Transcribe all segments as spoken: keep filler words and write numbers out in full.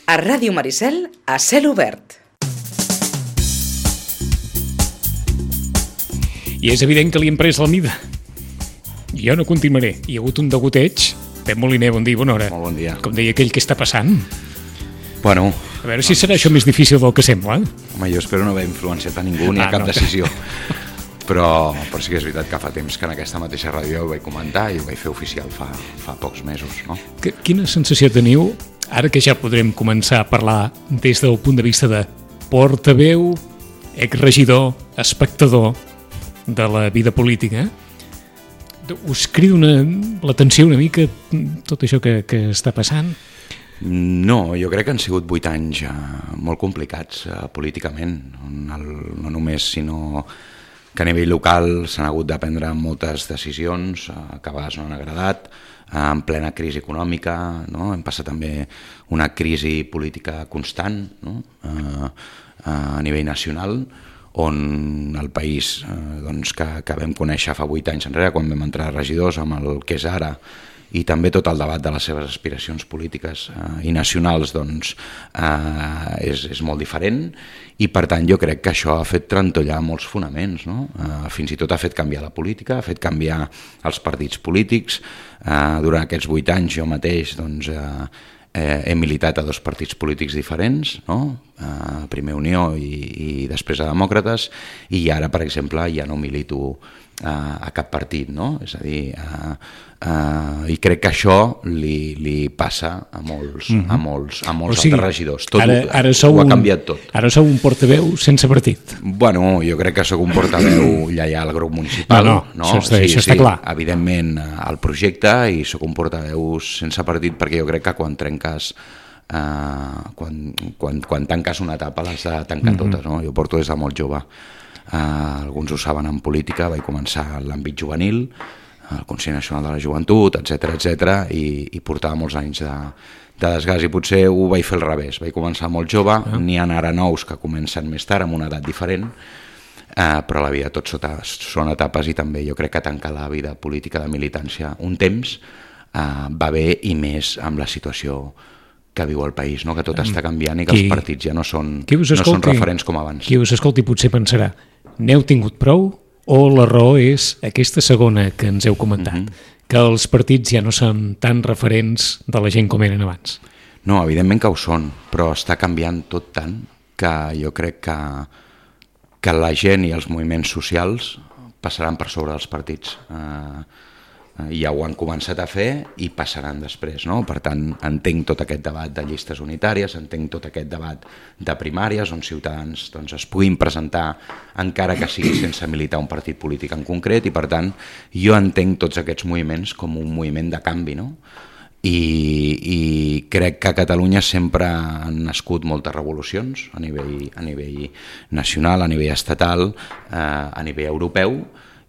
A Ràdio Maricel, a cel obert. I és evident que li hem pres la mida. Jo no continuaré. Hi ha hagut un degoteig. Pep Moliner, bon dia, bona hora. Molt bon dia. Com deia aquell, què està passant? Bueno... A veure si serà això més difícil del que sembla. Home, jo espero no haver influenciat a ningú ni a Ah, cap no. decisió. Però, però sí que és veritat que fa temps que en aquesta mateixa ràdio ho vaig comentar i ho vaig fer oficial fa, fa pocs mesos, no? Que, quina sensació teniu, ara que ja podrem començar a parlar des del punt de vista de portaveu, exregidor, espectador de la vida política? Us crida una, l'atenció una mica tot això que, que està passant? No, jo crec que han sigut vuit anys eh, molt complicats eh, políticament, on el, no només, sinó que a nivell local s'han hagut de prendre moltes decisions eh, que a vegades no han agradat, eh, en plena crisi econòmica, no? Hem passat també una crisi política constant, no? eh, a nivell nacional, on el país eh, doncs, que, que vam conèixer fa vuit anys enrere, quan vam entrar regidors, amb el que és ara, i també tot el debat de les seves aspiracions polítiques eh, i nacionals doncs, eh, és, és molt diferent, i per tant jo crec que això ha fet trantollar molts fonaments, no? eh, fins i tot ha fet canviar la política, ha fet canviar els partits polítics. Eh, durant aquests vuit anys jo mateix doncs, eh, eh, he militat a dos partits polítics diferents, no? eh, primer Unió i, i després a Demòcrates, i ara per exemple ja no milito a, a cap partit, no? És a dir, a, a, i crec que això li, li passa a molts, mm-hmm. a molts, a molts o sigui, altres regidors. Tot ara, ara ho, ho ha canviat tot. Ara sou un portaveu sense partit. Bueno, jo crec que sóc un portaveu lleial al grup municipal. No, no, no? Això, està, sí, això sí, està clar. Evidentment al projecte, i sóc un portaveu sense partit perquè jo crec que quan trenques uh, quan, quan, quan tanques una etapa l'has de tancar mm-hmm. totes, no? Jo porto des de molt jove. Uh, alguns ho saben en política, vaig començar en l'àmbit juvenil, al Consell Nacional de la Joventut, etcètera, etcètera, i, i portava molts anys de, de desgast, i potser ho vaig fer al revés. Vaig començar molt jove, ah. n'hi ha ara nous que comencen més tard, amb una edat diferent, uh, però la vida tot sota, són etapes, i també jo crec que tancar la vida política de militància un temps uh, va bé, i més amb la situació que viu el país, no? Que tot està canviant i que qui, els partits ja no són, no són referents com abans. Qui us escolti potser pensarà, n'heu tingut prou, o la raó és aquesta segona que ens heu comentat, mm-hmm. que els partits ja no són tan referents de la gent com eren abans? No, evidentment que ho són, però està canviant tot tant que jo crec que, que la gent i els moviments socials passaran per sobre dels partits. Eh, ja ho han començat a fer i passaran després, no? Per tant, entenc tot aquest debat de llistes unitàries, entenc tot aquest debat de primàries on ciutadans doncs, es puguin presentar encara que sigui sense militar un partit polític en concret, i per tant jo entenc tots aquests moviments com un moviment de canvi, no? I, i crec que a Catalunya sempre han nascut moltes revolucions a nivell, a nivell nacional, a nivell estatal, eh, a nivell europeu,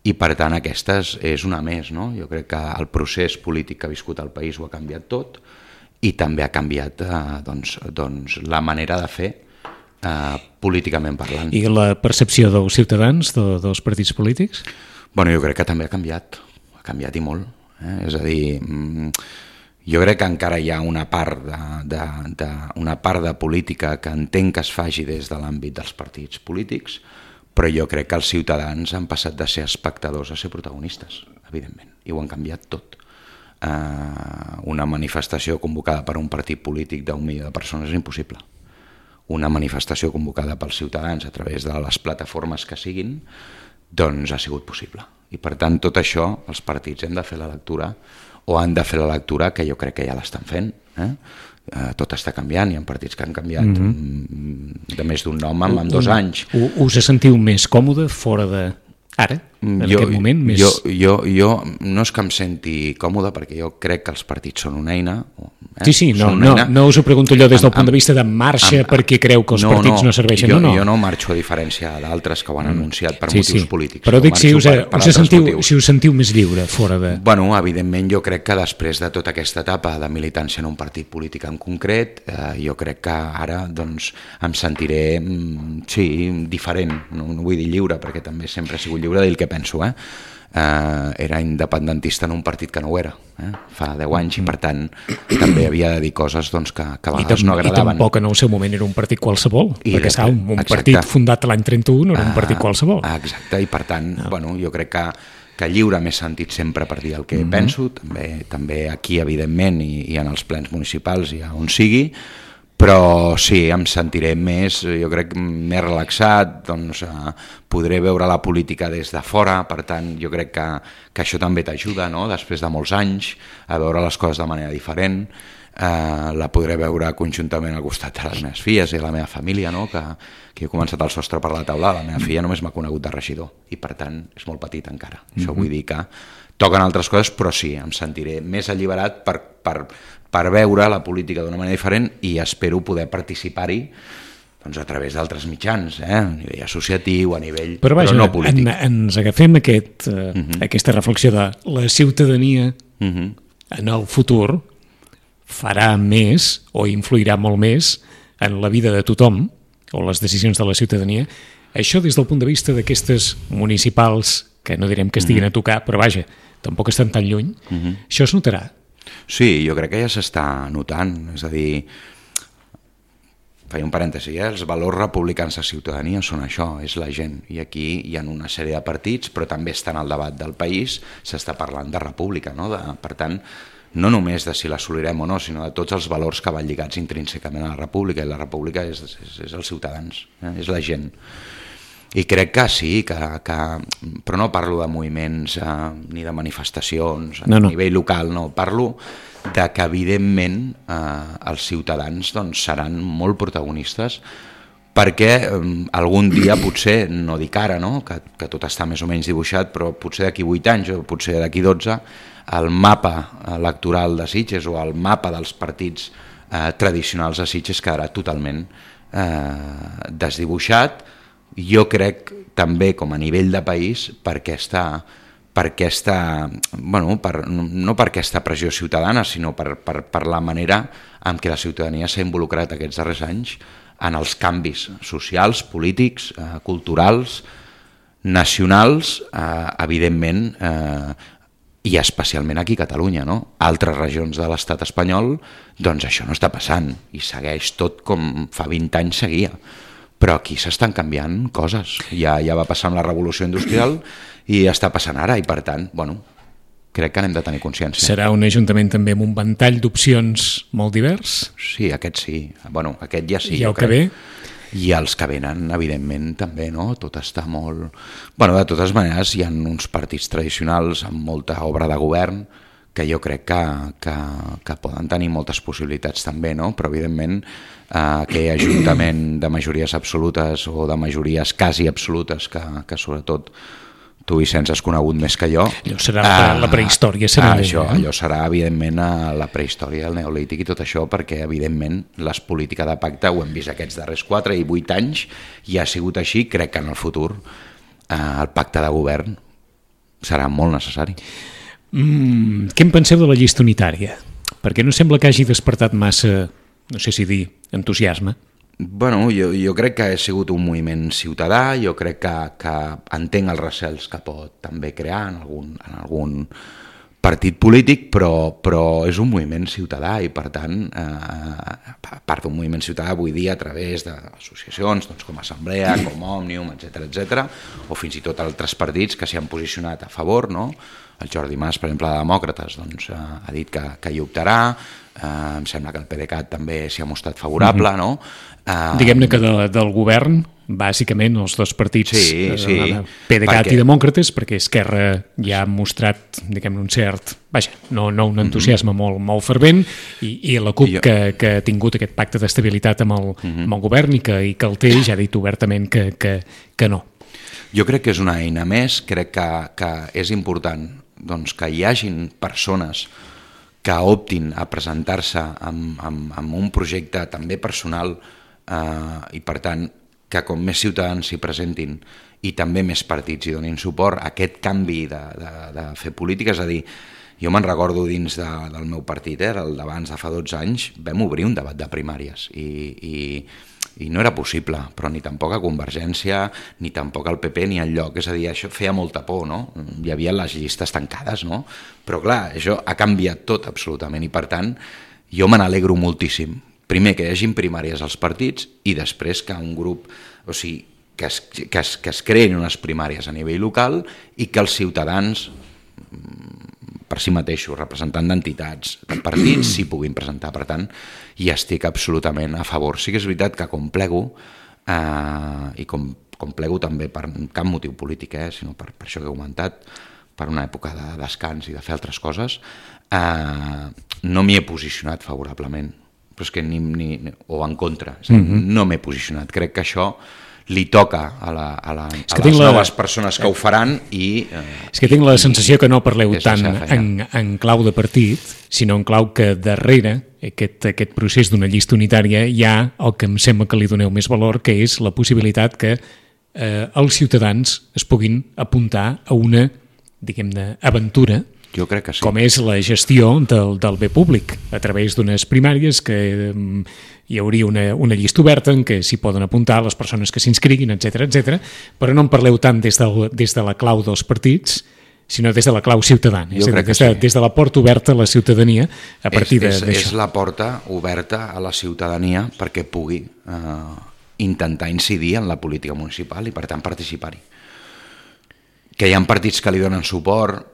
i per tant aquesta és una més, no? Jo crec que el procés polític que ha viscut el país ho ha canviat tot, i també ha canviat eh, doncs, doncs, la manera de fer eh, políticament parlant. I la percepció dels ciutadans, de, dels partits polítics? Bueno, jo crec que també ha canviat, ha canviat i molt. Eh? És a dir, jo crec que encara hi ha una part de, de, de, una part de política que entenc que es faci des de l'àmbit dels partits polítics, però jo crec que els ciutadans han passat de ser espectadors a ser protagonistes, evidentment, i ho han canviat tot. Uh, una manifestació convocada per un partit polític d'un milió de persones és impossible. Una manifestació convocada pels ciutadans a través de les plataformes que siguin, doncs ha sigut possible. I per tant, tot això, els partits hem de fer la lectura, o han de fer la lectura, que jo crec que ja l'estan fent, eh? Uh, tot està canviant, hi ha partits que han canviat mm-hmm. de més d'un nom en, en dos anys. Us sentiu més còmode fora de ara, en jo, aquest moment? Més... Jo, jo, jo no és que em senti còmode, perquè jo crec que els partits són una eina. Eh? Sí, sí, no, no, eina. No us ho pregunto allò des del amb, punt de vista de marxa, amb, perquè creu que els no, partits no, no serveixen. Jo no, no. jo no marxo, a diferència d'altres que ho han anunciat per sí, motius sí. polítics. Però dic si us, per, per us sentiu, motius. si us sentiu més lliure fora de... Bueno, evidentment jo crec que després de tota aquesta etapa de militància en un partit polític en concret, eh, jo crec que ara doncs, em sentiré sí, diferent, no, no vull dir lliure, perquè també sempre he sigut lliure de dir el que penso, eh? eh, era independentista en un partit que no ho era, eh? fa deu anys, i per tant també havia de dir coses doncs, que, que a vegades no agradaven. I tampoc en el seu moment era un partit qualsevol, I perquè després, un, un exacte. partit fundat l'any trenta-u no era un partit qualsevol. Uh, exacte, i per tant, no. bueno, jo crec que, que lliure m'he sentit sempre per dir el que mm-hmm. penso, també, també aquí, evidentment, i, i en els plens municipals i on sigui, però sí, em sentiré més, jo crec, més relaxat, doncs eh, podré veure la política des de fora, per tant, jo crec que, que això també t'ajuda, no?, després de molts anys, a veure les coses de manera diferent, eh, la podré veure conjuntament al costat de les meves filles i la meva família, no?, que, que he començat el sostre per la taula, la meva filla només m'ha conegut de regidor, i per tant és molt petit encara, mm-hmm. això vull dir que toquen altres coses, però sí, em sentiré més alliberat per, per, per veure la política d'una manera diferent i espero poder participar-hi doncs, a través d'altres mitjans, eh? A nivell associatiu, a nivell però, vaja, però no polític. En, ens agafem aquest, uh, uh-huh. aquesta reflexió de la ciutadania uh-huh. en el futur farà més o influirà molt més en la vida de tothom o les decisions de la ciutadania. Això des del punt de vista d'aquestes municipals, que no direm que estiguin uh-huh. a tocar, però vaja, tampoc estan tan lluny, uh-huh. això es notarà. Sí, jo crec que ja s'està notant, és a dir, faig un parèntesi, eh? Els valors republicans de ciutadania són això, és la gent, i aquí hi ha una sèrie de partits, però també està en el debat del país, s'està parlant de república, no? De, per tant, no només de si l'assolirem o no, sinó de tots els valors que van lligats intrínsecament a la república, i la república és, és, és els ciutadans, eh? És la gent. I crec que sí, que, que, però no parlo de moviments eh, ni de manifestacions a no, no. nivell local, no, parlo de que evidentment eh, els ciutadans doncs, seran molt protagonistes perquè eh, algun dia potser, no dic ara, no? que, que tot està més o menys dibuixat, però potser d'aquí vuit anys o potser d'aquí dotze, el mapa electoral de Sitges o el mapa dels partits eh, tradicionals de Sitges quedarà totalment eh, desdibuixat. Jo crec també com a nivell de país per aquesta, per aquesta bueno, per, no per aquesta pressió ciutadana, sinó per, per, per la manera en què la ciutadania s'ha involucrat aquests darrers anys en els canvis socials, polítics, eh, culturals, nacionals, eh, evidentment, eh, i especialment aquí a Catalunya, no? Altres regions de l'estat espanyol, doncs això no està passant i segueix tot com fa vint anys seguia. Però aquí s'estan canviant coses. Ja, ja va passar amb la revolució industrial i està passant ara, i per tant, bueno, crec que n'hem de tenir consciència. Serà un ajuntament també amb un ventall d'opcions molt divers? Sí, aquest sí. Bueno, aquest ja sí. I el que ve? I els que venen, evidentment, també, no? Tot està molt... Bueno, de totes maneres, hi ha uns partits tradicionals amb molta obra de govern que jo crec que, que, que poden tenir moltes possibilitats també, no? Però evidentment eh, aquell ajuntament de majories absolutes o de majories quasi absolutes que, que sobretot tu, Vicenç, has conegut més que jo. Allò serà eh, la prehistòria. Serà eh, això, allò serà evidentment la prehistòria, el neolític i tot això, perquè evidentment les polítiques de pacte ho hem vist aquests darrers quatre i vuit anys i ha sigut així. Crec que en el futur eh, el pacte de govern serà molt necessari. Mm, què en penseu de la llista unitària? Perquè no sembla que hagi despertat massa, no sé si dir, entusiasme. Bueno, jo, jo crec que ha sigut un moviment ciutadà, jo crec que, que entenc els recels que pot també crear en algun, en algun partit polític, però, però és un moviment ciutadà i per tant, eh, a part d'un moviment ciutadà vull dir a través d'associacions doncs, com Assemblea, com Òmnium, etcètera, etcètera, o fins i tot altres partits que s'hi han posicionat a favor, no? El Jordi Mas, per exemple, de Demòcrates, doncs, eh, ha dit que, que hi optarà, eh, em sembla que el PDeCAT també s'hi ha mostrat favorable, mm-hmm. no? Eh, Diguem-ne que de, del govern, bàsicament, els dos partits, sí, sí, eh, PDeCAT perquè... i Demòcrates, perquè Esquerra ja ha mostrat, diguem-ne, un cert, vaja, no, no un entusiasme mm-hmm. molt, molt fervent, i, i la CUP, jo... que, que ha tingut aquest pacte d'estabilitat amb, el, mm-hmm. amb el govern i que, i que el té, ja ha dit obertament que, que, que no. Jo crec que és una eina més, crec que, que és important doncs, que hi hagin persones que optin a presentar-se amb, amb, amb un projecte també personal eh, i per tant que com més ciutadans s'hi presentin i també més partits hi donin suport a aquest canvi de, de, de fer política, és a dir, jo me'n recordo dins de, del meu partit, eh, el d'abans de fa dotze anys, vam obrir un debat de primàries i, i, i no era possible, però ni tampoc a Convergència, ni tampoc al P P, ni enlloc. És a dir, això feia molta por, no? Hi havia les llistes tancades, no? Però clar, això ha canviat tot absolutament i per tant jo me n'alegro moltíssim. Primer que hi hagin primàries als partits i després que un grup, o sigui, que es, que es, que es creïn unes primàries a nivell local i que els ciutadans per si mateixos, representant d'entitats, de partits, s'hi puguin presentar. Per tant, hi estic absolutament a favor. Sí que és veritat que com plego, eh, i com, com plego també per cap motiu polític, eh, sinó per, per això que he comentat, per una època de descans i de fer altres coses, eh, no m'hi he posicionat favorablement, però és que ni, ni, o en contra, és a dir, mm-hmm. no m'he posicionat. Crec que això li toca a, la, a, la, a les la... noves persones que ho faran i... Eh, és que tinc la sensació que no parleu tant en, en clau de partit, sinó en clau que darrere aquest, aquest procés d'una llista unitària hi ha el que em sembla que li doneu més valor, que és la possibilitat que eh, els ciutadans es puguin apuntar a una, diguem-ne, aventura, jo crec que sí. Com és la gestió del, del bé públic, a través d'unes primàries que um, hi hauria una, una llista oberta en què s'hi poden apuntar les persones que s'inscriguin, etcètera, etcètera, però no en parleu tant des, del, des de la clau dels partits, sinó des de la clau ciutadana, és a dir, des, de, sí. des de la porta oberta a la ciutadania a partir és, d'això. És, és la porta oberta a la ciutadania perquè pugui eh, intentar incidir en la política municipal i per tant participar-hi. Que hi ha partits que li donen suport,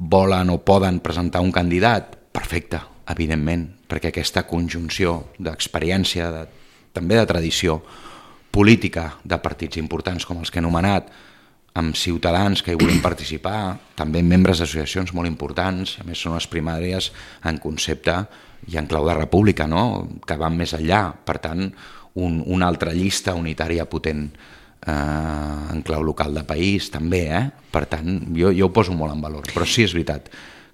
volen o poden presentar un candidat, perfecte, evidentment, perquè aquesta conjunció d'experiència, de, també de tradició política de partits importants com els que he anomenat, amb ciutadans que hi volem participar, també membres d'associacions molt importants, a més són les primàries en concepte i en clau de república, no? Que van més enllà, per tant, un, una altra llista unitària potent Uh, en clau local de país també, eh? Per tant jo, jo ho poso molt en valor, però sí és veritat,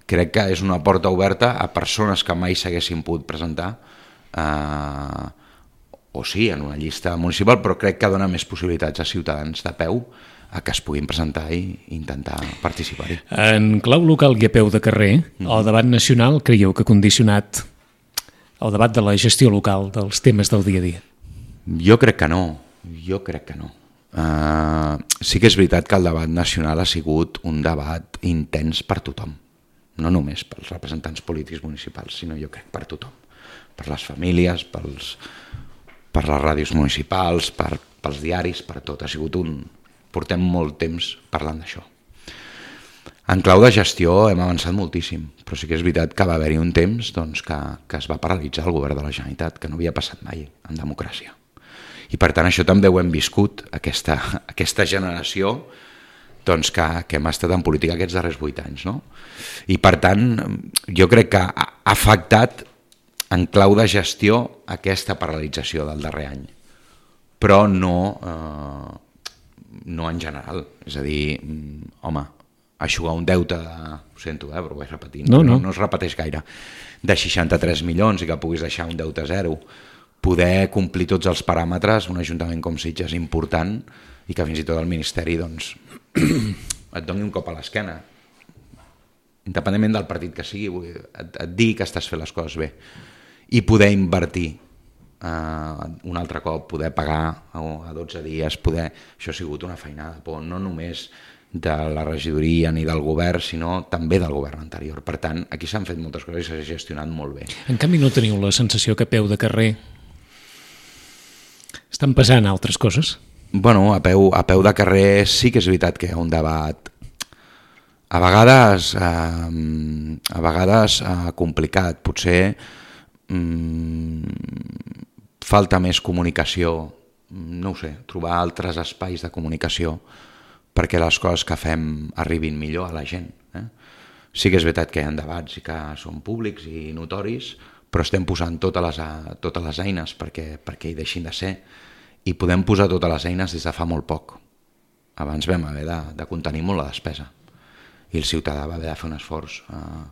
crec que és una porta oberta a persones que mai s'haguessin pogut presentar uh, o sí, en una llista municipal, però crec que dona més possibilitats a ciutadans de peu a que es puguin presentar i intentar participar-hi. En clau local i a peu de carrer, mm. el debat nacional creieu que ha condicionat el debat de la gestió local dels temes del dia a dia? Jo crec que no, jo crec que no. Uh, sí que és veritat que el debat nacional ha sigut un debat intens per tothom, no només pels representants polítics municipals, sinó jo crec per tothom, per les famílies, pels, per les ràdios municipals, per, pels diaris, per tot. Ha sigut un... Portem molt temps parlant d'això. En clau de gestió hem avançat moltíssim, però sí que és veritat que va haver-hi un temps doncs, que, que es va paralitzar el govern de la Generalitat, que no havia passat mai en democràcia. I per tant això també ho hem viscut, aquesta, aquesta generació doncs, que, que hem estat en política aquests darrers vuit anys. No? I per tant jo crec que ha afectat en clau de gestió aquesta paralització del darrer any, però no, eh, no en general. És a dir, home, eixugar un deute de, ho sento, eh, però ho vaig repetint, no, no. no es repeteix gaire, de seixanta-tres milions i que puguis deixar un deute zero, poder complir tots els paràmetres, un ajuntament com Sitges important i que fins i tot el Ministeri doncs, et doni un cop a l'esquena, independentment del partit que sigui, et, et digui que estàs fent les coses bé i poder invertir uh, un altre cop, poder pagar a, a dotze dies, poder... Això ha sigut una feinada, però no només de la regidoria ni del govern, sinó també del govern anterior. Per tant, aquí s'han fet moltes coses i s'ha gestionat molt bé. En canvi, no teniu la sensació que a peu de carrer estan passant altres coses? Bueno, a peu, a peu de carrer sí que és veritat que hi ha un debat a vegades eh, a vegades eh, complicat, potser mm, falta més comunicació, no ho sé, trobar altres espais de comunicació perquè les coses que fem arribin millor a la gent. Eh? Sí que és veritat que hi ha debats i que són públics i notoris, però estem posant totes les, totes les eines perquè, perquè hi deixin de ser i podem posar totes les eines des de fa molt poc. Abans vam haver de, de contenir molt la despesa i el ciutadà va haver de fer un esforç eh,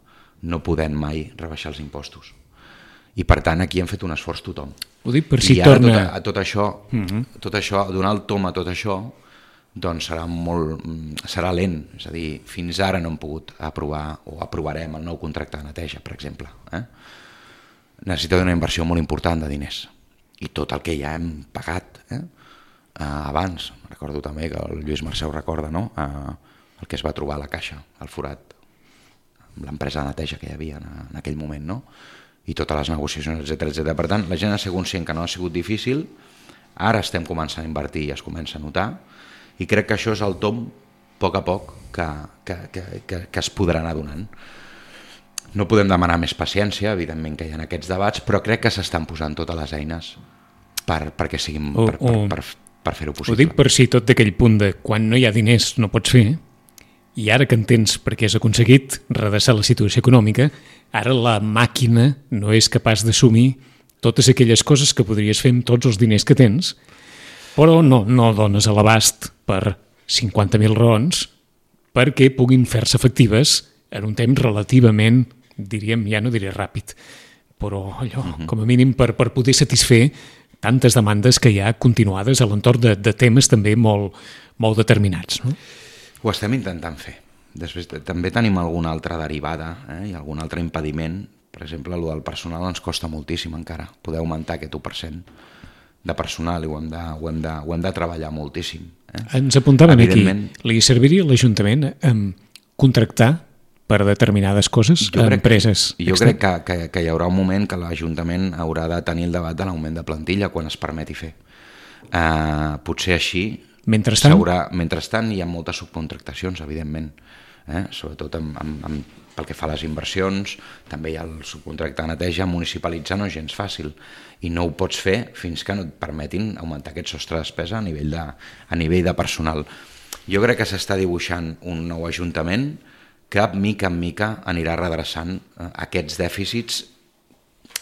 no podent mai rebaixar els impostos. I per tant aquí hem fet un esforç tothom. Ho dic per si I ara torna... tot, a, tot, això, uh-huh. tot això, donar el tom a tot això, doncs serà, molt, serà lent. És a dir, fins ara no hem pogut aprovar o aprovarem el nou contracte de neteja, per exemple. Eh? Necessita una inversió molt important de diners. i tot el que ja hem pagat eh? uh, abans. Recordo també que el Lluís Mercè ho recorda, no? Uh, el que es va trobar a la caixa, al forat, amb l'empresa de neteja que hi havia en, en aquell moment, no? I totes les negociacions, etcètera, etcètera. Per tant, la gent ha sigut conscient que no ha sigut difícil, ara estem començant a invertir i es comença a notar, i crec que això és el tom, a poc a poc, que, que, que, que, que es podrà anar donant. No podem demanar més paciència, evidentment que hi ha aquests debats, però crec que s'estan posant totes les eines per, perquè siguin, o, per, per, per, per fer-ho possible. Ho dic per si tot d'aquell punt de quan no hi ha diners no pots fer, i ara que entens per què has aconseguit redreçar la situació econòmica, ara la màquina no és capaç d'assumir totes aquelles coses que podries fer amb tots els diners que tens, però no, no dones a l'abast per cinquanta mil raons perquè puguin fer-se efectives en un temps relativament, diríem, ja no diré ràpid, però allò, uh-huh. com a mínim per, per poder satisfer tantes demandes que hi ha continuades a l'entorn de, de temes també molt, molt determinats. No? Ho estem intentant fer. Després també tenim alguna altra derivada eh, i algun altre impediment. Per exemple, el del personal ens costa moltíssim encara. Poder augmentar aquest u per cent de personal i ho hem de, ho hem de, ho hem de treballar moltíssim. Eh? Ens apuntaven Evidentment, aquí. Li serviria a l'Ajuntament eh, contractar per determinades coses a empreses? Jo crec que, que, que hi haurà un moment que l'Ajuntament haurà de tenir el debat de l'augment de plantilla quan es permeti fer. Uh, potser així... Mentrestant? Mentrestant hi ha moltes subcontractacions, evidentment. Eh? Sobretot amb, amb, amb, pel que fa a les inversions, també hi ha el subcontracte de neteja, municipalitzar no és gens fàcil. I no ho pots fer fins que no et permetin augmentar aquest sostre de despesa a nivell de, a nivell de personal. Jo crec que s'està dibuixant un nou Ajuntament que mica en mica anirà redreçant eh, aquests dèficits,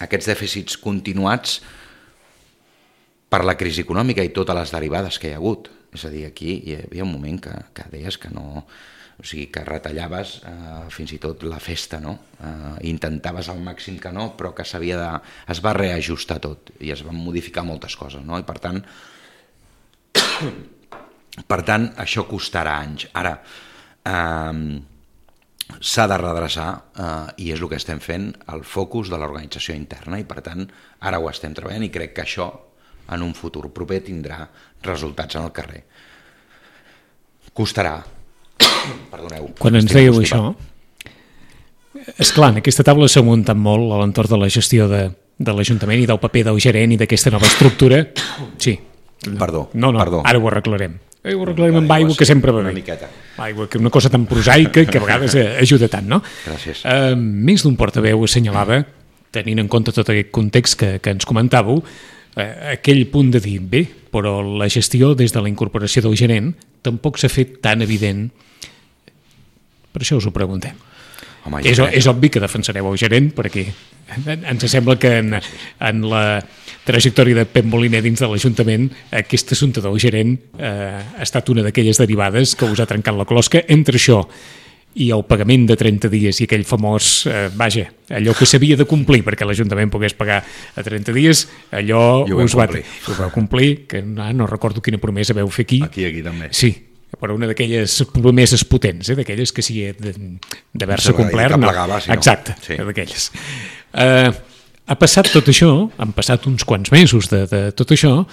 aquests dèficits continuats per la crisi econòmica i totes les derivades que hi ha hagut. És a dir, aquí hi havia un moment que, que deies que no... O sigui, que retallaves eh, fins i tot la festa, no? Eh, intentaves al màxim que no, però que s'havia de... es va reajustar tot i es van modificar moltes coses, no? I per tant, per tant, això costarà anys. Ara, eh, s'ha de redreçar eh, i és el que estem fent, el focus de l'organització interna, i per tant ara ho estem treballant i crec que això en un futur proper tindrà resultats en el carrer. Costarà. Perdoneu. Quan ens dèieu això, esclar, en aquesta taula s'ha muntat molt a l'entorn de la gestió de, de l'Ajuntament i del paper del gerent i d'aquesta nova estructura. Sí. Perdó, no, no, perdó. Ara ho arreglarem. Ho arreglarem amb aigua, que sempre va bé. Una miqueta. Aigua, que és una cosa tan prosaica que a vegades ajuda tant, no? Gràcies. Uh, més d'un portaveu assenyalava, tenint en compte tot aquest context que, que ens comentàveu, uh, aquell punt de dir, bé, però la gestió des de la incorporació del gerent tampoc s'ha fet tan evident. Per això us ho preguntem. Home, és, és obvi que defensareu el gerent, perquè ens sembla que en, en la trajectòria de Pep Moliner dins de l'Ajuntament aquest assumpte del gerent eh, ha estat una d'aquelles derivades que us ha trencat la closca. Entre això i el pagament de trenta dies i aquell famós, eh, vaja, allò que s'havia de complir perquè l'Ajuntament pogués pagar a trenta dies, allò us va, us va complir, que no, no recordo quina promesa veu fer aquí. Aquí, aquí també. Sí, però una d'aquelles promeses potents, eh, d'aquelles que si d'haver-se complert, no. Plegava, si no. Exacte, sí. d'aquelles. Uh, ha passat tot això, han passat uns quants mesos de, de tot això,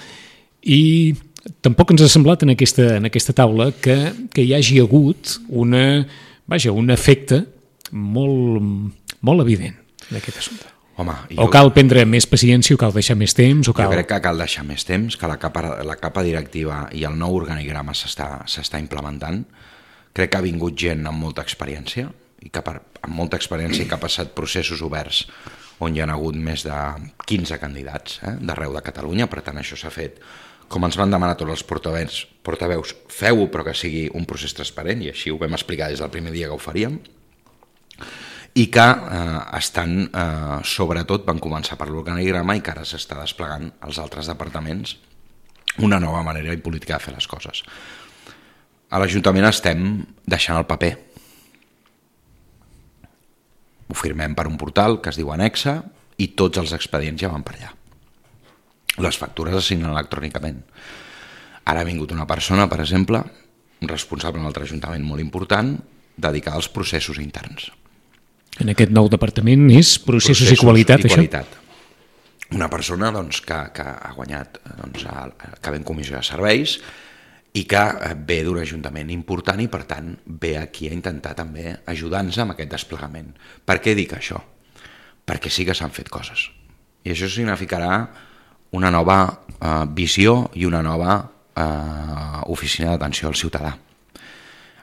i tampoc ens ha semblat en aquesta, en aquesta taula que, que hi hagi hagut una, vaja, un efecte molt, molt evident d'aquest assumpte. Home, o cal prendre més paciència, o cal deixar més temps, o cal... Jo crec que cal deixar més temps, que la capa, la capa directiva i el nou organigrama s'està implementant. Crec que ha vingut gent amb molta experiència, i que per, amb molta experiència i que ha passat processos oberts on hi ha hagut més de quinze candidats eh, d'arreu de Catalunya. Per tant, això s'ha fet, com ens van demanar tots els portaveus, portaveus feu-ho però que sigui un procés transparent, i així ho vam explicar des del primer dia que ho faríem, i que eh, estan, eh, sobretot, van començar per l'organigrama i que ara s'està desplegant als altres departaments una nova manera i política de fer les coses. A l'Ajuntament estem deixant el paper. Ho firmem per un portal que es diu Anexa i tots els expedients ja van per allà. Les factures es signen electrònicament. Ara ha vingut una persona, per exemple, un responsable en l'altre Ajuntament molt important, dedicada als processos interns. En aquest nou departament és processos, processos i qualitat, i qualitat. això? una persona doncs, que, que ha guanyat, doncs, que ve en comissió de serveis i que ve d'un ajuntament important i, per tant, ve aquí a intentar també ajudar-nos amb aquest desplegament. Per què dic això? Perquè sí que s'han fet coses. I això significarà una nova eh, visió i una nova eh, oficina d'atenció al ciutadà.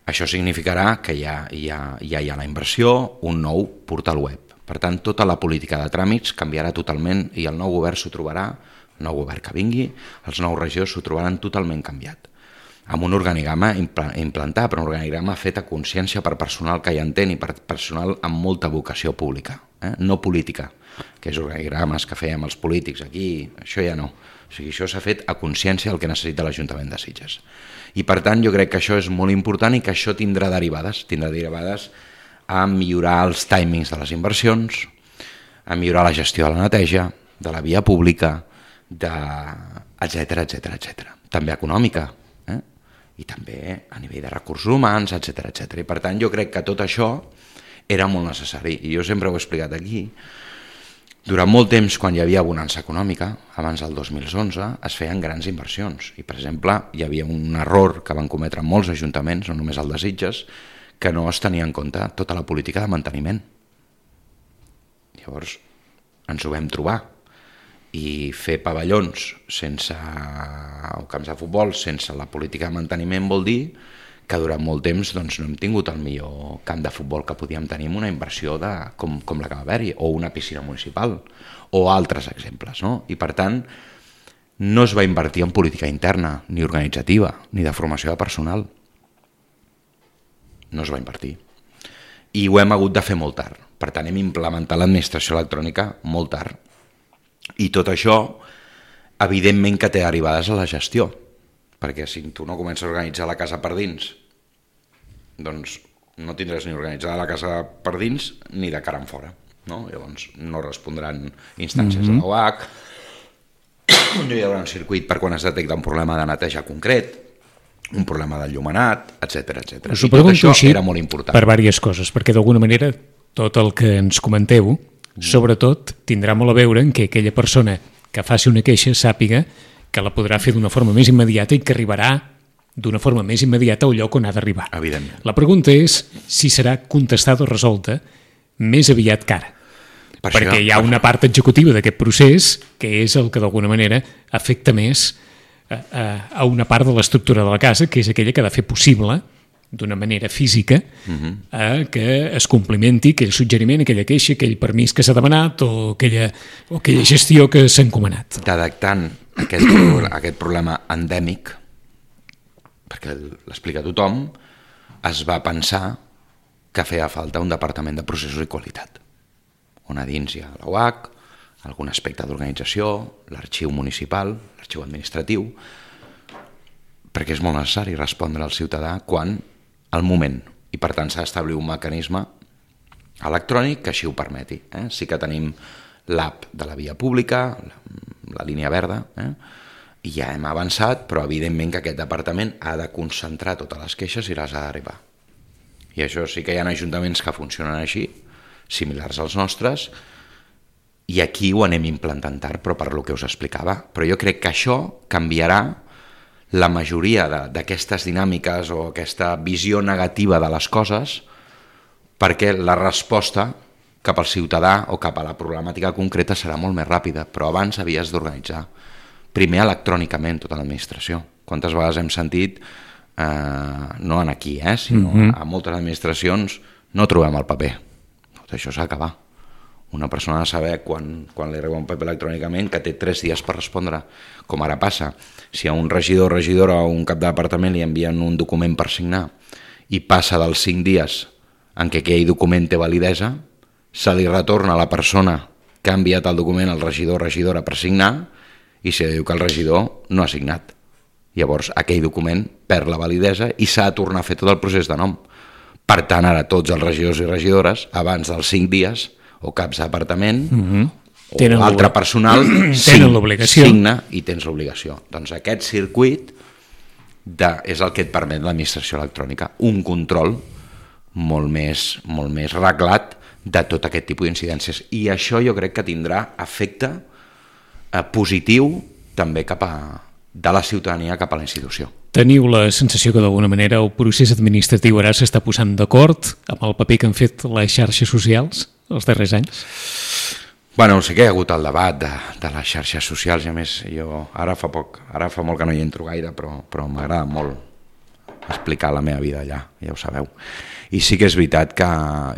Això significarà que ja, ja, ja hi ha la inversió, un nou portal web. Per tant, tota la política de tràmits canviarà totalment i el nou govern s'ho trobarà, el nou govern que vingui, els nous regidors s'ho trobaran totalment canviat. Amb un organigrama implantat, però un organigrama fet a consciència per personal que hi entén i per personal amb molta vocació pública, eh? No política, que és organigrames que fèiem els polítics aquí, això ja no. O sigui, això s'ha fet a consciència el que necessita l'Ajuntament de Sitges. I per tant jo crec que això és molt important i que això tindrà derivades, tindrà derivades a millorar els timings de les inversions, a millorar la gestió de la neteja, de la via pública, de... etcètera, etcètera, etcètera. També econòmica, eh? I també a nivell de recursos humans, etcètera, etcètera. I per tant jo crec que tot això era molt necessari. I jo sempre ho he explicat aquí. Durant molt temps, quan hi havia bonança econòmica, abans del dos mil onze, es feien grans inversions. I, per exemple, hi havia un error que van cometre molts ajuntaments, no només el de Sitges, que no es tenia en compte tota la política de manteniment. Llavors, ens ho vam trobar. I fer pavellons sense, o camps de futbol sense la política de manteniment vol dir que durant molt temps doncs, no hem tingut el millor camp de futbol que podíem tenir amb una inversió de, com, com la que va haver-hi, o una piscina municipal, o altres exemples. No? I per tant, no es va invertir en política interna, ni organitzativa, ni de formació de personal. No es va invertir. I ho hem hagut de fer molt tard. Per tant, hem implementat l'administració electrònica molt tard. I tot això, evidentment que té derivades a la gestió, perquè si tu no comences a organitzar la casa per dins, doncs no tindràs ni organitzada la casa per dins ni de cara en fora. No? Llavors no respondran instàncies mm-hmm. de l'O H, no hi haurà un circuit per quan es detecta un problema de neteja concret, un problema d'enllumenat, etcètera, etcètera. I tot això era molt important. Per diverses coses, perquè d'alguna manera tot el que ens comenteu, mm. sobretot, tindrà molt a veure en que aquella persona que faci una queixa sàpiga que la podrà fer d'una forma més immediata i que arribarà d'una forma més immediata al lloc on ha d'arribar. Evidentment. La pregunta és si serà contestada o resolta més aviat que ara. Per perquè això, hi ha per... una part executiva d'aquest procés que és el que d'alguna manera afecta més a, a, a una part de l'estructura de la casa, que és aquella que ha de fer possible d'una manera física uh-huh. eh, que es complimenti aquell suggeriment, aquella queixa, aquell permís que s'ha demanat o aquella, o aquella gestió que s'ha encomanat. Detectant aquest, aquest problema endèmic, perquè l'explica tothom, es va pensar que feia falta un departament de processos i qualitat, on a dins hi ha l'O H, algun aspecte d'organització, l'arxiu municipal, l'arxiu administratiu, perquè és molt necessari respondre al ciutadà quan al moment, i per tant s'ha d'establir un mecanisme electrònic que així ho permeti. Eh? Sí que tenim l'app de la via pública, la, la línia verda, eh? i ja hem avançat, però evidentment que aquest departament ha de concentrar totes les queixes i les ha d'arribar. I això sí que hi ha ajuntaments que funcionen així, similars als nostres, i aquí ho anem implantant tard, però per lo que us explicava. Però jo crec que això canviarà la majoria d'aquestes dinàmiques o aquesta visió negativa de les coses, perquè la resposta cap al ciutadà o cap a la problemàtica concreta serà molt més ràpida, però abans havies d'organitzar primer electrònicament tota l'administració. Quantes vegades hem sentit, eh, no en aquí, eh, sinó mm-hmm. a moltes administracions, no trobem el paper. Tot això s'ha d'acabar. Una persona ha de saber quan, quan li arriba un paper electrònicament que té tres dies per respondre, com ara passa. Si a un regidor, regidora o un cap de departament li envien un document per signar i passa dels cinc dies en què aquell document té validesa, se li retorna a la persona que ha enviat el document al regidor o regidora per signar i se diu que el regidor no ha signat. Llavors aquell document perd la validesa i s'ha de tornar a fer tot el procés de nom. Per tant, ara tots els regidors i regidores, abans dels cinc dies, o caps de departament, mm-hmm. o tenen altre personal, signa i tens l'obligació. Doncs aquest circuit de, és el que et permet l'administració electrònica, un control molt més, molt més reglat de tot aquest tipus d'incidències. I això jo crec que tindrà efecte eh, positiu també cap a, de la ciutadania cap a la institució. Teniu la sensació que d'alguna manera el procés administratiu ara s'està posant d'acord amb el paper que han fet les xarxes socials els darrers anys? Bueno, sí que hi ha hagut el debat de, de les xarxes socials, i a més jo ara fa poc, ara fa molt que no hi entro gaire, però, però m'agrada molt explicar la meva vida allà, ja ho sabeu. I sí que és veritat que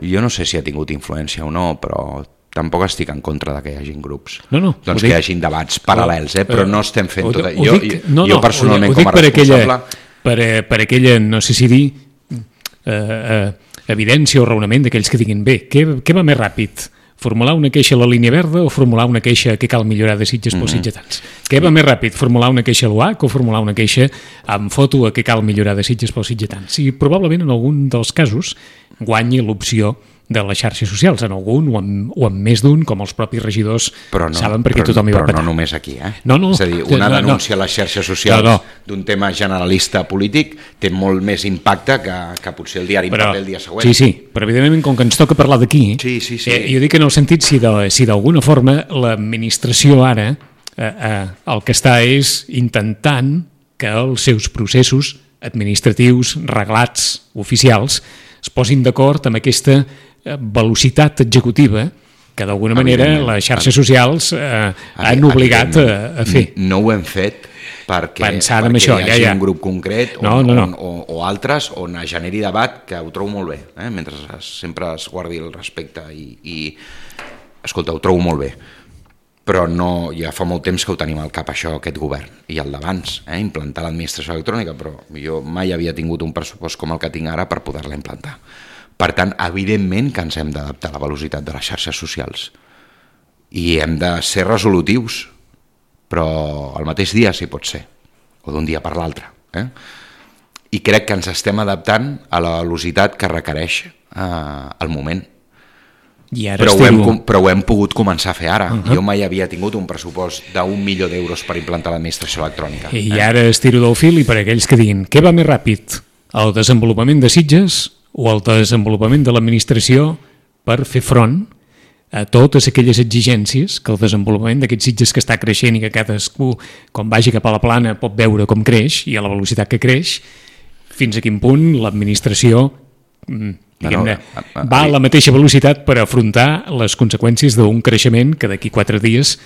jo no sé si ha tingut influència o no, però tampoc estic en contra de que hi hagin grups, no, no, doncs que hi hagin debats paral·lels, eh? Però no estem fent tot... Jo, dic, no, jo no, personalment ho dic, com a per responsable... Aquella, per, per aquella, no sé si dir, eh, eh, evidència o raonament d'aquells que diguin bé, què, què va més ràpid? Formular una queixa a la línia verda o formular una queixa que cal millorar de Sitges pels mm-hmm. sitgetans? Què va més ràpid? Formular una queixa a l'U A C o formular una queixa amb foto a que cal millorar de Sitges pels sitgetans? I probablement en algun dels casos guanyi l'opció de les xarxes socials, en algun o en, o en més d'un, com els propis regidors no, saben perquè però, tothom hi va petar. Però patar. no només aquí, eh? No, no, és a dir, una no, denúncia no. a les xarxes socials no, no. d'un tema generalista polític té molt més impacte que, que potser el diari però, paper el dia següent. Sí, sí, però evidentment com que ens toca parlar d'aquí, sí, sí, sí. eh, jo dic en el sentit si d'alguna si forma l'administració ara eh, eh, el que està és intentant que els seus processos administratius, reglats, oficials, es posin d'acord amb aquesta velocitat executiva que d'alguna manera les xarxes socials eh, han obligat a, a fer. No ho hem fet perquè, Pensant perquè en això, hi hagi ja, ja. un grup concret on, no, no, no. On, o, o altres on es generi debat, que ho trobo molt bé, eh? Mentre es, sempre es guardi el respecte i, i escolta, ho trobo molt bé, però no, ja fa molt temps que ho tenim al cap això, aquest govern, i el d'abans, eh? Implantar l'administració electrònica, però jo mai havia tingut un pressupost com el que tinc ara per poder-la implantar. Per tant, evidentment que ens hem d'adaptar a la velocitat de les xarxes socials i hem de ser resolutius, però al mateix dia sí pot ser, o d'un dia per l'altre. Eh? I crec que ens estem adaptant a la velocitat que requereix eh, el moment. I ara però, esteu... ho hem, però ho hem pogut començar a fer ara. Uh-huh. Jo mai havia tingut un pressupost d'un milió d'euros per implantar l'administració electrònica. I eh? ara estiro del fil, i per aquells que diguin què va més ràpid, el desenvolupament de Sitges o el desenvolupament de l'administració per fer front a totes aquelles exigències que el desenvolupament d'aquests Sitges que està creixent i que cadascú, quan vagi cap a la plana, pot veure com creix i a la velocitat que creix, fins a quin punt l'administració diguem-ne, no, no, va a la mateixa velocitat per afrontar les conseqüències d'un creixement que d'aquí quatre dies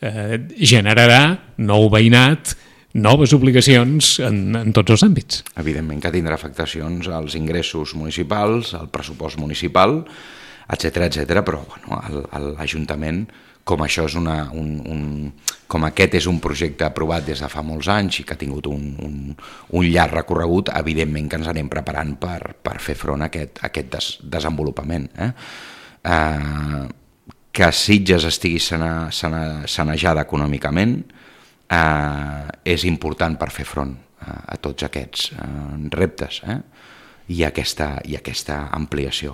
eh, generarà nou veïnat, noves obligacions en, en tots els àmbits. Evidentment que tindrà afectacions als ingressos municipals, al pressupost municipal, etcètera, etcètera, però bueno, l'Ajuntament, com això és una, un, un, com aquest és un projecte aprovat des de fa molts anys i que ha tingut un, un, un llarg recorregut, evidentment que ens anem preparant per, per fer front a aquest, a aquest des, desenvolupament. Eh? Eh, que Sitges estigui sane, sane, sanejada econòmicament, Uh, és important per fer front uh, a tots aquests uh, reptes eh? I, aquesta, i aquesta ampliació.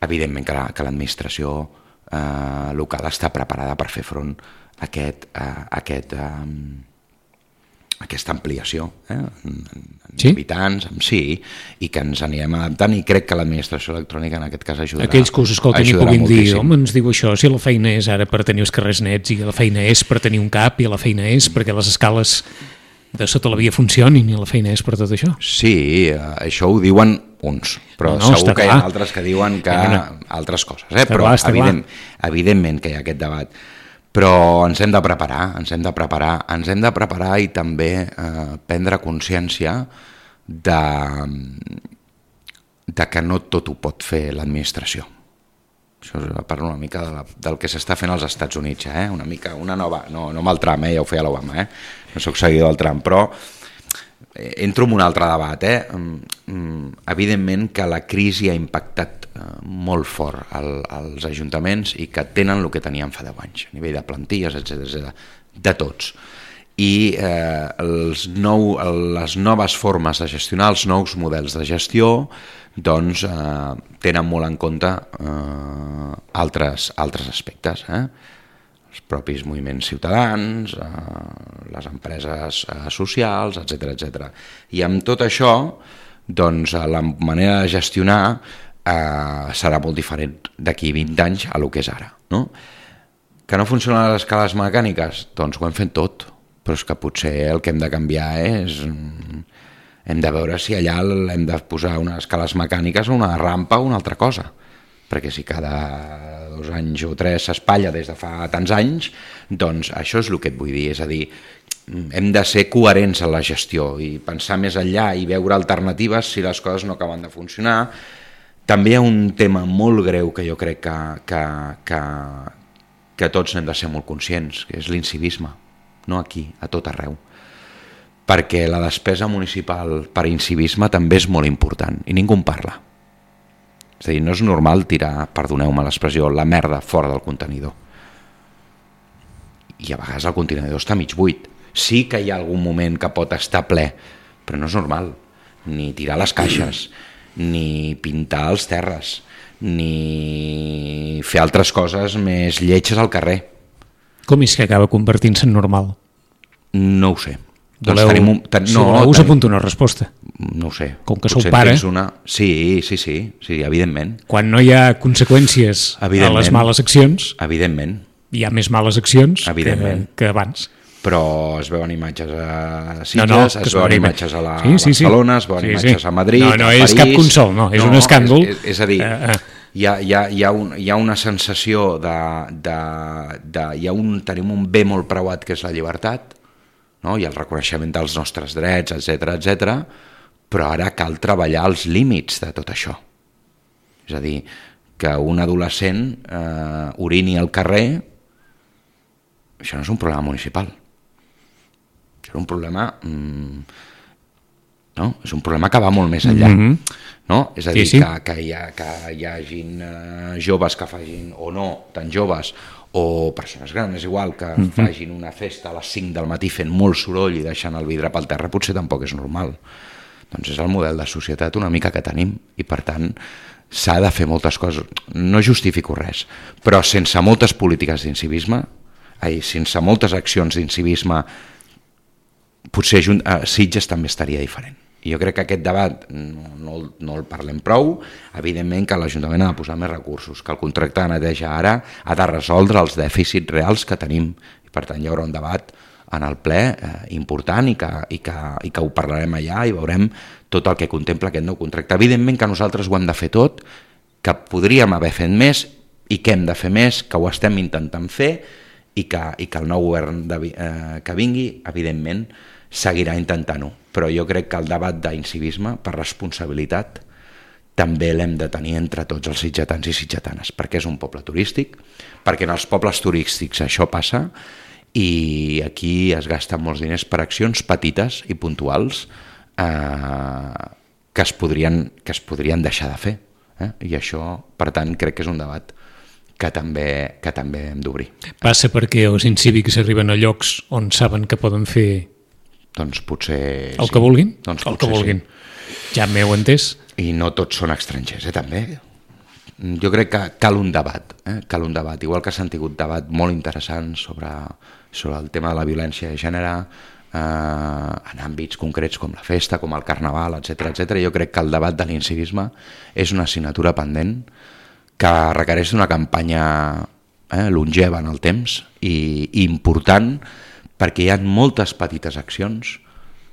Evidentment que, la, que l'administració uh, local està preparada per fer front a aquest, uh, aquest, um, aquesta ampliació eh? en, en sí? habitants, en sí, i que ens anirem adaptant, i crec que l'administració electrònica en aquest cas ajudarà. Aquells que us escolten i puguin dir, home, ens diu això, si la feina és ara per tenir els carrers nets, i la feina és per tenir un cap, i la feina és perquè les escales de sota la via funcionin, i la feina és per tot això. Sí, això ho diuen uns, però no, no, segur que hi ha altres que diuen que ja, no. altres coses, eh? Però clar, evident, evidentment que hi ha aquest debat. Però ens hem de preparar, ens hem de preparar, ens hem de preparar i també eh, prendre consciència de, de que no tot ho pot fer l'administració. Això parla una mica de la, del que s'està fent als Estats Units, eh? Una mica, una nova, no, no amb el Trump, eh? Ja ho feia l'Obama, eh? No soc seguidor del Trump, però entro en un altre debat, eh? Evidentment que la crisi ha impactat molt fort al, als ajuntaments i que tenen el que tenien fa deu anys, a nivell de plantilles, etcètera, de tots. I eh, els nou, les noves formes de gestionar, els nous models de gestió, doncs eh, tenen molt en compte eh, altres, altres aspectes, eh? Els propis moviments ciutadans, eh, les empreses eh, socials, etcètera, etcètera. I amb tot això, doncs, la manera de gestionar Uh, serà molt diferent d'aquí vint anys a lo que és ara, no? Que no funcionen les escales mecàniques? Doncs ho hem fet tot, però és que potser el que hem de canviar és... Hem de veure si allà hem de posar unes escales mecàniques o una rampa o una altra cosa, perquè si cada dos anys o tres s'espatlla des de fa tants anys, doncs això és el que et vull dir, és a dir, hem de ser coherents en la gestió i pensar més enllà i veure alternatives si les coses no acaben de funcionar. També hi ha un tema molt greu que jo crec que, que, que, que tots n'hem de ser molt conscients, que és l'incivisme, no aquí, a tot arreu. Perquè la despesa municipal per incivisme també és molt important i ningú en parla. És a dir, no és normal tirar, perdoneu-me l'expressió, la merda fora del contenidor. I a vegades el contenidor està mig buit. Sí que hi ha algun moment que pot estar ple, però no és normal. Ni tirar les caixes, ni pintar els terres, ni fer altres coses més lletges al carrer. Com és que acaba convertint-se en normal? No ho sé. Doncs voleu, tenim un, ten, no, si voleu us apunto una resposta. No ho sé. Com que sou pare... Una... Sí, sí, sí, sí, evidentment. Quan no hi ha conseqüències a les males accions, evidentment. Hi ha més males accions que, que abans. Però es veuen imatges a Sitges, no, no, es veuen imatges a, la, sí, sí, sí. a Barcelona, es veuen sí, imatges sí. a Madrid, no, no a París... No, és cap consol, no, és no, un escàndol. És, és, és a dir, uh, uh. Hi, ha, hi, ha, hi, ha un, hi ha una sensació de... de, de hi ha un, tenim un bé molt preuat que és la llibertat, no? I el reconeixement dels nostres drets, etcètera, etcètera, però ara cal treballar els límits de tot això. És a dir, que un adolescent eh, orini al carrer, això no és un problema municipal. Això és un problema... Mm, no? És un problema que va molt més enllà. Mm-hmm. No? És a dir, sí, sí. Que, que, hi ha, que hi hagin eh, joves que facin, o no tan joves, o persones grans, és igual, que uh-huh. facin una festa a les cinc del matí fent molt soroll i deixant el vidre pel terra, potser tampoc és normal. Doncs és el model de societat una mica que tenim i per tant s'ha de fer moltes coses. No justifico res, però sense moltes polítiques d'incivisme, ai, sense moltes accions d'incivisme, potser a Sitges també estaria diferent. I jo crec que aquest debat no, no, no el parlem prou, evidentment que l'Ajuntament ha de posar més recursos, que el contracte de neteja ara ha de resoldre els dèficits reals que tenim, i per tant hi haurà un debat en el ple eh, important i que, i, que, i que ho parlarem allà i veurem tot el que contempla aquest nou contracte. Evidentment que nosaltres ho hem de fer tot, que podríem haver fet més i que hem de fer més, que ho estem intentant fer i que, i que el nou govern de, eh, que vingui, evidentment, seguirà intentant-ho, però jo crec que el debat d'incivisme, per responsabilitat, també l'hem de tenir entre tots els sitgetans i sitgetanes, perquè és un poble turístic, perquè en els pobles turístics això passa, i aquí es gasten molts diners per accions petites i puntuals eh, que, es podrien, que es podrien deixar de fer. Eh? I això, per tant, crec que és un debat que també, que també hem d'obrir. Passa perquè els incívics arriben a llocs on saben que poden fer doncs potser... El sí. que vulguin? Doncs el que vulguin. Sí. Ja m'heu entès. I no tots són estrangers, eh, també. Jo crec que cal un debat, eh? cal un debat. Igual que s'han tingut debat molt interessants sobre, sobre el tema de la violència de gènere, eh, en àmbits concrets com la festa, com el carnaval, etcètera, etcètera. Jo crec que el debat de l'incivisme és una assignatura pendent que requereix una campanya eh, longeva en el temps i, i important, perquè hi ha moltes petites accions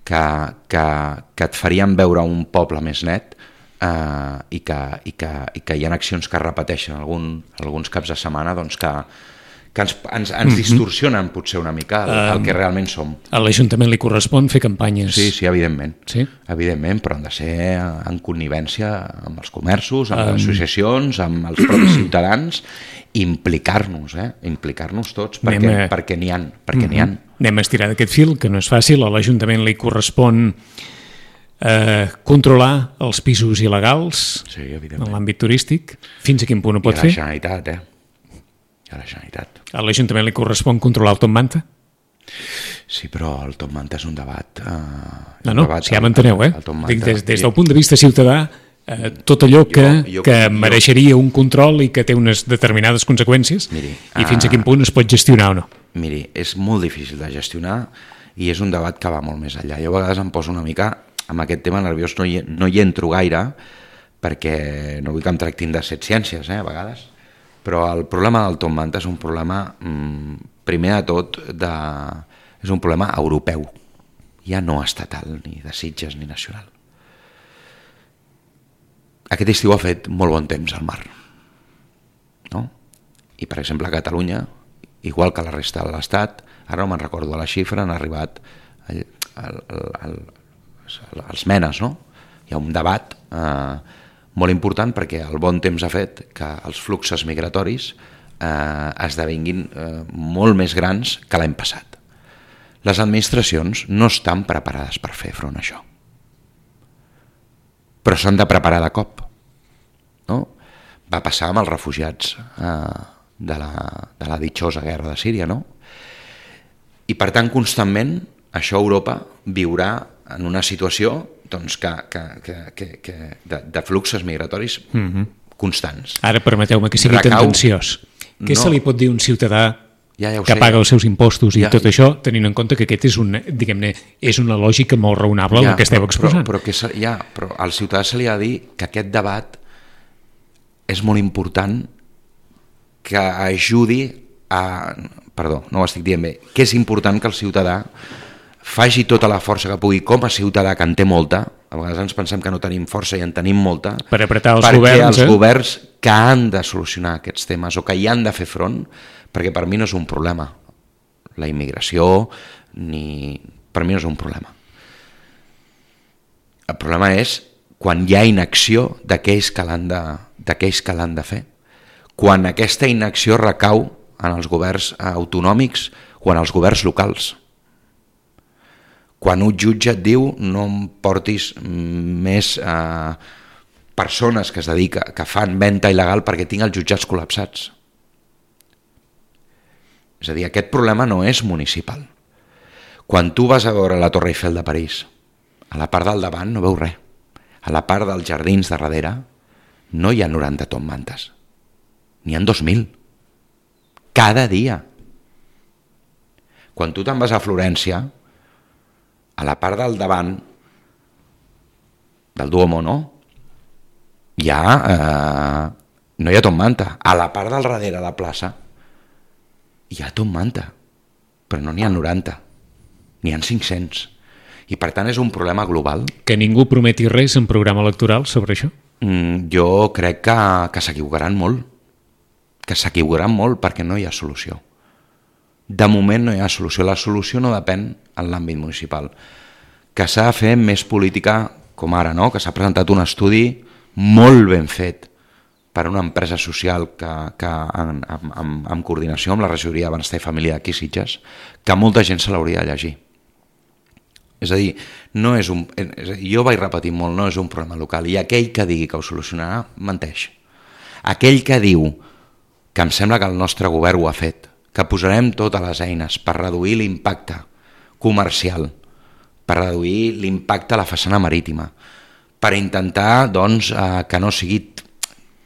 que, que, que et farien veure un poble més net eh, i, que, i, que, i que hi ha accions que es repeteixen algun, alguns caps de setmana doncs que, que ens, ens, ens mm-hmm. distorsionen potser una mica el, el que realment som. A l'Ajuntament li correspon fer campanyes. Sí, sí, evidentment. Sí? Evidentment, però han de ser en connivència amb els comerços, amb um... les associacions, amb els propis ciutadans, implicar-nos, eh? implicar-nos tots, perquè, a... perquè n'hi ha, perquè mm-hmm. n'hi ha. Anem a estirar d'aquest fil, que no és fàcil. A l'Ajuntament li correspon eh, controlar els pisos il·legals sí, en l'àmbit turístic. Fins a quin punt ho pot fer? I a la fer? Generalitat, eh? I a la Generalitat. A l'Ajuntament li correspon controlar el Top Manta? Sí, però el Top Manta és un debat... Eh, no, no, debat, si ja m'enteneu, eh? Dic, des, des del punt de vista ciutadà, eh, tot allò que, jo, jo, que jo, mereixeria un control i que té unes determinades conseqüències miri, i fins a quin punt es pot gestionar o no. Miri, és molt difícil de gestionar i és un debat que va molt més enllà. Jo a vegades em poso una mica amb aquest tema nerviós, no hi, no hi entro gaire perquè no vull que em tractin de set ciències, eh, a vegades, Però el problema del Top Manta és un problema, primer de tot, de... és un problema europeu, ja no estatal, ni de Sitges ni nacional. Aquest estiu ha fet molt bon temps al mar, no? I per exemple a Catalunya, igual que la resta de l'Estat, ara no me'n recordo la xifra, han arribat el, el, el, el, els menes, no? Hi ha un debat eh, molt important perquè el bon temps ha fet que els fluxos migratoris eh, esdevinguin eh, molt més grans que l'any passat. Les administracions no estan preparades per fer front a això, però s'han de preparar de cop, no? Va passar amb els refugiats eh, de, la, de la ditxosa guerra de Síria, no? I per tant constantment això Europa viurà en una situació doncs, que, que, que, que, que de, de fluxos migratoris mm-hmm. constants. Ara permeteu-me que sigui Recau... tendenciós. Què no. se li pot dir a un ciutadà ja, ja que sé. paga els seus impostos i ja, tot això, tenint en compte que aquest és, un, diguem-ne, és una lògica molt raonable ja, el que esteu exposant? Però, però, que se, ja, però al ciutadà se li ha de dir que aquest debat és molt important, que ajudi a... Perdó, no ho estic dient bé. Que és important que el ciutadà faci tota la força que pugui, com a ciutadà, que en té molta, a vegades ens pensem que no tenim força i en tenim molta, per apretar els perquè governs, els eh? governs que han de solucionar aquests temes o que hi han de fer front, perquè per mi no és un problema. La immigració, ni... per mi no és un problema. El problema és quan hi ha inacció d'aquells que l'han de, d'aquells que l'han de fer. Quan aquesta inacció recau en els governs autonòmics o en els governs locals. Quan un jutge et diu no em portis més eh, persones que es dedica, que fan venda il·legal perquè tinc els jutjats col·lapsats. És a dir, aquest problema no és municipal. Quan tu vas a veure la Torre Eiffel de París, a la part del davant no veus res. A la part dels jardins de darrere no hi ha noranta Top Mantes. N'hi ha dos mil. Cada dia. Quan tu te'n vas a Florència, a la part del davant del Duomo, no? Hi ha, eh, no hi ha Top Manta. A la part del darrere de la plaça hi ha Top Manta, però no n'hi ha noranta, n'hi ha cinc-cents. I per tant és un problema global. Que ningú prometi res en programa electoral sobre això? Mm, jo crec que, que s'equivocaran molt. que s'equivocaran molt perquè no hi ha solució. De moment no hi ha solució. La solució no depèn en l'àmbit municipal. Que s'ha de fer més política com ara, no? Que s'ha presentat un estudi molt ben fet per una empresa social que, que en, en, en, en coordinació amb la regidoria de Benestar i Família d'aquí Sitges, que molta gent se l'hauria de llegir. És a dir, no és un, és a dir, jo vaig repetir molt, no és un problema local, i aquell que digui que ho solucionarà, menteix. Aquell que diu que em sembla que el nostre govern ho ha fet, que posarem totes les eines per reduir l'impacte comercial, per reduir l'impacte a la façana marítima, per intentar doncs, eh, que no sigui...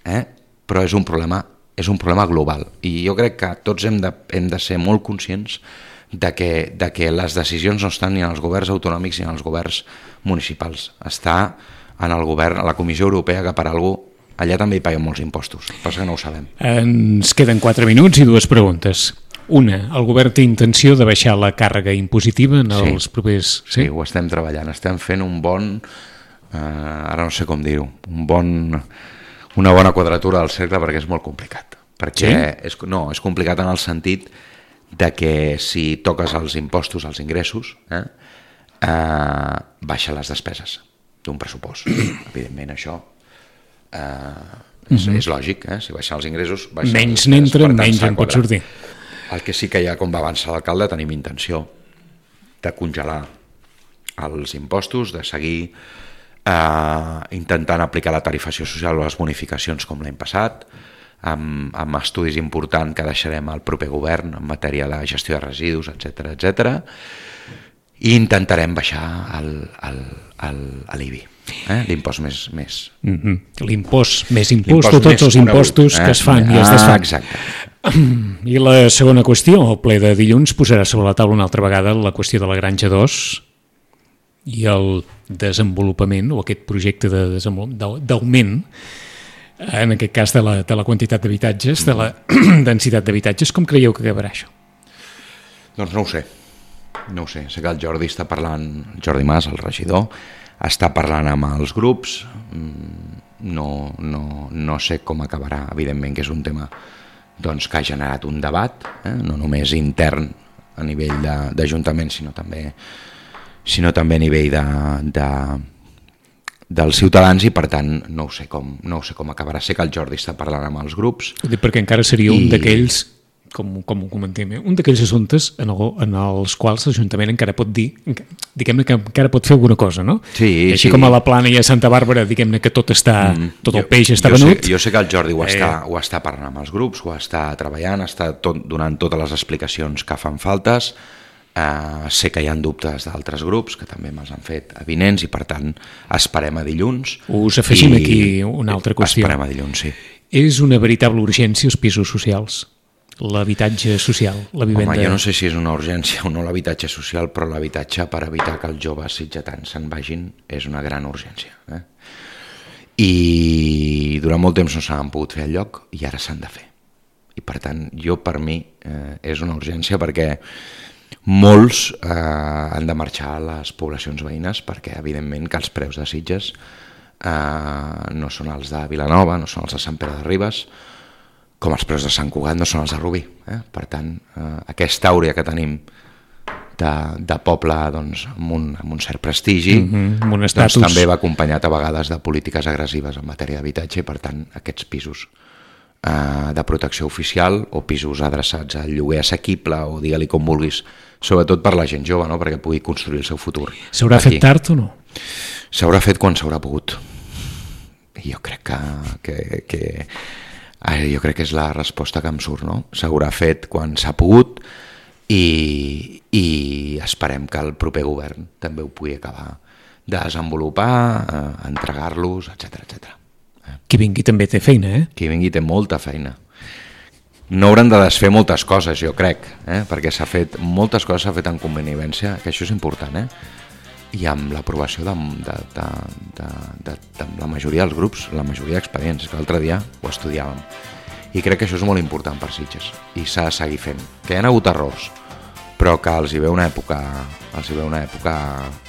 Eh? Però és un problema, és un problema global. I jo crec que tots hem de, hem de ser molt conscients de que, de que les decisions no estan ni en els governs autonòmics ni en els governs municipals. Està en el govern, a la Comissió Europea, que per alguna cosa allà també hi paguen molts impostos, passa que no ho sabem. Ens queden quatre minuts i dues preguntes. Una, el govern té intenció de baixar la càrrega impositiva en els sí, propers... Sí? sí, ho estem treballant, estem fent un bon, eh, ara no sé com dir-ho, un bon, una bona quadratura del cercle perquè és molt complicat. Perquè sí? és, no, és complicat en el sentit de que si toques els impostos, els ingressos, eh, eh, baixa les despeses d'un pressupost. Evidentment això... Uh, és, uh-huh. és lògic, eh? Si baixen els ingressos baixen menys n'entra, menys en pot sortir. El que sí que ja, com va avançar l'alcalde, tenim intenció de congelar els impostos, de seguir uh, intentant aplicar la tarifació social o les bonificacions com l'any passat, amb, amb estudis importants que deixarem al proper govern en matèria de gestió de residus, etcètera, etcètera, i intentarem baixar el, el, el, l'I B I. Eh? L'impost més... més... Mm-hmm. L'impost més impost de tots els impostos eh? que es fan i es desfan. Ah, exacte. I la segona qüestió, el ple de dilluns posarà sobre la taula una altra vegada la qüestió de la Granja dos i el desenvolupament o aquest projecte de d'augment en aquest cas de la, de la quantitat d'habitatges, de la densitat d'habitatges, com creieu que acabarà això? Doncs no ho sé, no ho sé. Sé que el Jordi està parlant, el Jordi Mas, el regidor, està parlant amb els grups, no, no, no sé com acabarà, evidentment que és un tema doncs, que ha generat un debat, eh? No només intern a nivell d'Ajuntament, sinó també, sinó també a nivell de... de dels ciutadans i per tant no ho sé com, no ho sé com acabarà. Sé que el Jordi està parlant amb els grups. Ho dic perquè encara seria I... un d'aquells, com, com ho comentem, un d'aquells assumptes en, el, en els quals l'Ajuntament encara pot dir, diguem-ne que encara pot fer alguna cosa, no? Sí, I així sí. Com a la Plana i a Santa Bàrbara, diguem-ne que tot està, mm, tot el jo, peix està jo venut. Sé, jo sé que el Jordi ho, eh... està, ho està parlant amb els grups, ho està treballant, està tot, donant totes les explicacions que fan faltes. Uh, sé que hi ha dubtes d'altres grups que també me'ls han fet avinents i per tant esperem a dilluns. Us afegim i... aquí una altra qüestió. Esperem a dilluns, sí. És una veritable urgència els pisos socials, l'habitatge social, la vivenda... Home, jo no sé si és una urgència o no l'habitatge social, però l'habitatge per evitar que els joves sitgetans se'n vagin és una gran urgència. Eh? I durant molt temps no s'han pogut fer al lloc i ara s'han de fer. I per tant, jo per mi eh, és una urgència perquè molts eh, han de marxar a les poblacions veïnes perquè evidentment que els preus de Sitges eh, no són els de Vilanova, no són els de Sant Pere de Ribes, com els preus de Sant Cugat no són els de Rubí. Eh? Per tant, eh, aquesta àurea que tenim de, de poble doncs, amb, un, amb un cert prestigi mm-hmm, amb un doncs, també va acompanyat a vegades de polítiques agressives en matèria d'habitatge i per tant aquests pisos eh, de protecció oficial o pisos adreçats al lloguer assequible o digue-li com vulguis, sobretot per la gent jove, no? Perquè pugui construir el seu futur. S'haurà fet tard o no? S'haurà fet quan s'haurà pogut. I jo crec que, que, que eh, jo crec que és la resposta que em surt, no? S'haurà fet quan s'ha pogut i, i esperem que el proper govern també ho pugui acabar de desenvolupar, eh, entregar-los, etcètera, etcètera. Eh? Qui vingui també té feina, eh? Qui vingui té molta feina. No hauran de desfer moltes coses, jo crec, eh? Perquè s'ha fet, moltes coses s'ha fet en conveniència, que això és important, eh? I amb l'aprovació de, de, de, de, de, de la majoria dels grups, la majoria d'expedients, que l'altre dia ho estudiàvem. I crec que això és molt important per Sitges, i s'ha de seguir fent. Que hi ha hagut errors, però que els hi ve una època, els hi ve una època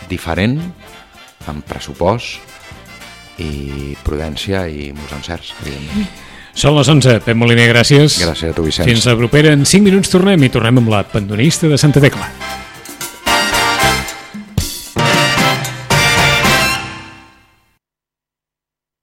diferent, amb pressupost i prudència i molts encerts, evidentment. Són les onze. Pep Moliner, gràcies. Gràcies a tu, Vicenç. Fins la propera. En cinc minuts tornem i tornem amb la pandonista de Santa Tecla.